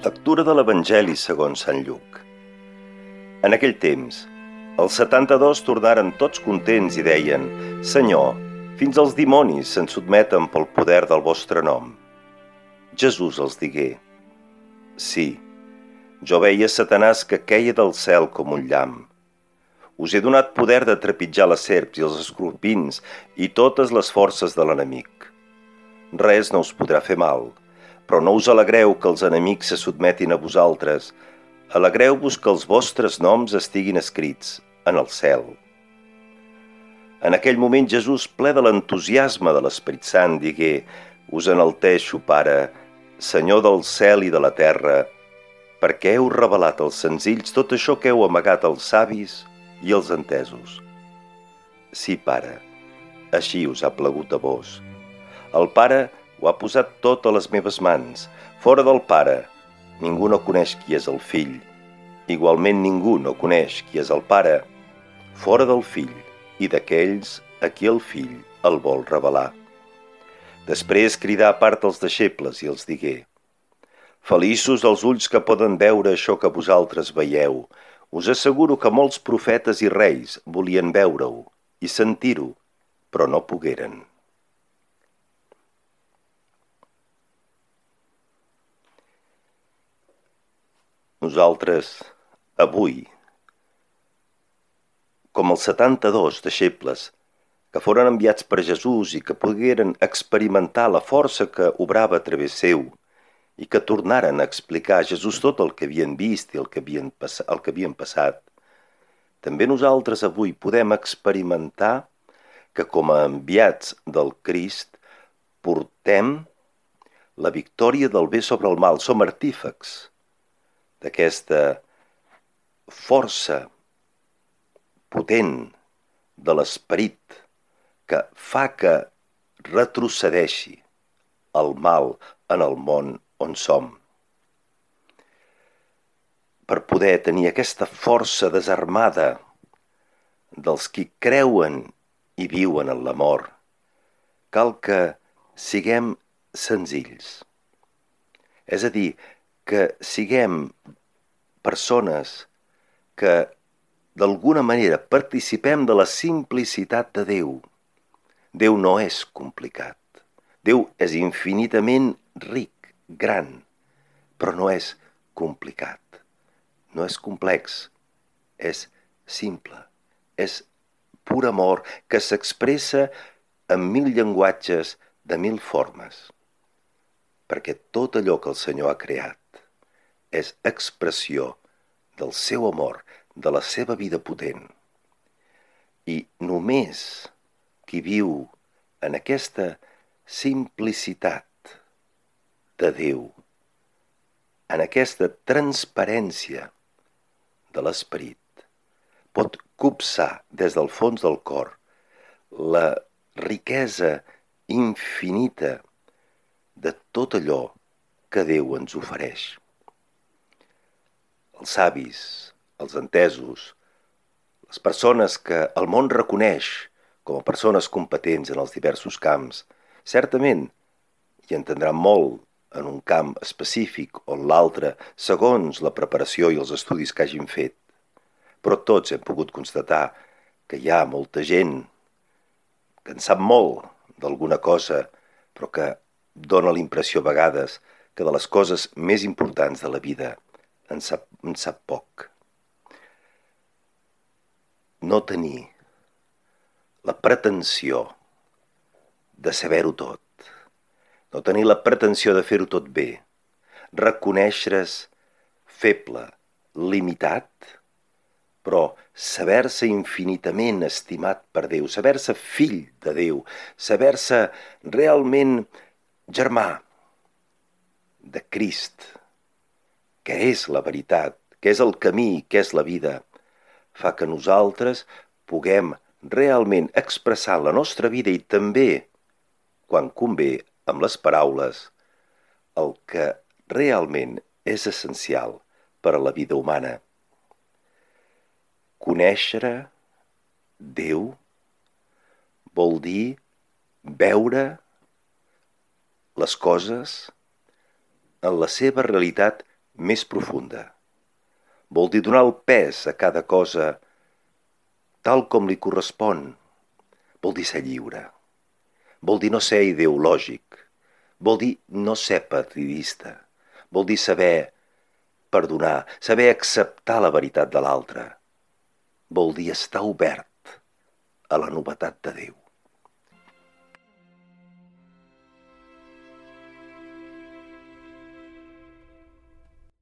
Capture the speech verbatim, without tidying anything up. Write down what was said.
Lectura de l'Evangeli segons Sant Lluc. En aquell temps, els setanta-dos tornaren tots contents i deien: «Senyor, fins els dimonis se'n sotmeten pel poder del vostre nom». Jesús els digué: «Sí, jo veia Satanàs que queia del cel com un llamp. Us he donat poder de trepitjar les serps i els escorpins i totes les forces de l'enemic. Res no us podrà fer mal, però no us alegreu que els enemics se sotmetin a vosaltres. Alegreu-vos que els vostres noms estiguin escrits en el cel». En aquell moment Jesús, ple de l'entusiasme de l'Esperit Sant, digué: «Us enalteixo, Pare, Senyor del cel i de la terra, perquè heu revelat als senzills tot això que heu amagat als savis i als entesos. Sí, Pare, així us ha plagut a vos. El Pare ho ha posat tot a les meves mans. Fora del Pare, ningú no coneix qui és el Fill. Igualment ningú no coneix qui és el Pare, fora del Fill i d'aquells a qui el Fill el vol revelar». Després cridà a part els deixebles i els digué: «Feliços els ulls que poden veure això que vosaltres veieu. Us asseguro que molts profetes i reis volien veure-ho i sentir-ho, però no pogueren». Nosaltres, avui, com els setanta-dos deixebles que foren enviats per Jesús i que pogueren experimentar la força que obrava a través seu i que tornaren a explicar a Jesús tot el que havien vist i el que havien, pass- el que havien passat, també nosaltres avui podem experimentar que com a enviats del Crist portem la victòria del bé sobre el mal. Som artífex d'aquesta força potent de l'esperit que fa que retrocedeixi el mal en el món on som. Per poder tenir aquesta força desarmada dels qui creuen i viuen en l'amor, cal que siguem senzills. És a dir, que siguem persones que d'alguna manera participem de la simplicitat de Déu. Déu no és complicat. Déu és infinitament ric, gran, però no és complicat. No és complex, és simple. És pur amor que s'expressa en mil llenguatges de mil formes. Perquè tot allò que el Senyor ha creat és expressió del seu amor, de la seva vida potent. I només qui viu en aquesta simplicitat de Déu, en aquesta transparència de l'esperit, pot copsar des del fons del cor la riquesa infinita de tot allò que Déu ens ofereix. Els savis, els entesos, les persones que el món reconeix com a persones competents en els diversos camps, certament hi entendran molt en un camp específic o en l'altre, segons la preparació i els estudis que hagin fet. Però tots hem pogut constatar que hi ha molta gent que en sap molt d'alguna cosa, però que dona la impressió a vegades que de les coses més importants de la vida en sap, en sap poc. No tenir la pretensió de saber-ho tot, no tenir la pretensió de fer-ho tot bé, reconèixer-se feble, limitat, però saber-se infinitament estimat per Déu, saber-se fill de Déu, saber-se realment germà de Crist, que és la veritat, que és el camí, que és la vida, fa que nosaltres puguem realment expressar la nostra vida i també, quan convé, amb les paraules, el que realment és essencial per a la vida humana. Conèixer Déu vol dir veure les coses en la seva realitat més profunda. Vol dir donar el pes a cada cosa tal com li correspon. Vol dir ser lliure. Vol dir no ser ideològic. Vol dir no ser partidista. Vol dir saber perdonar, saber acceptar la veritat de l'altre. Vol dir estar obert a la novetat de Déu.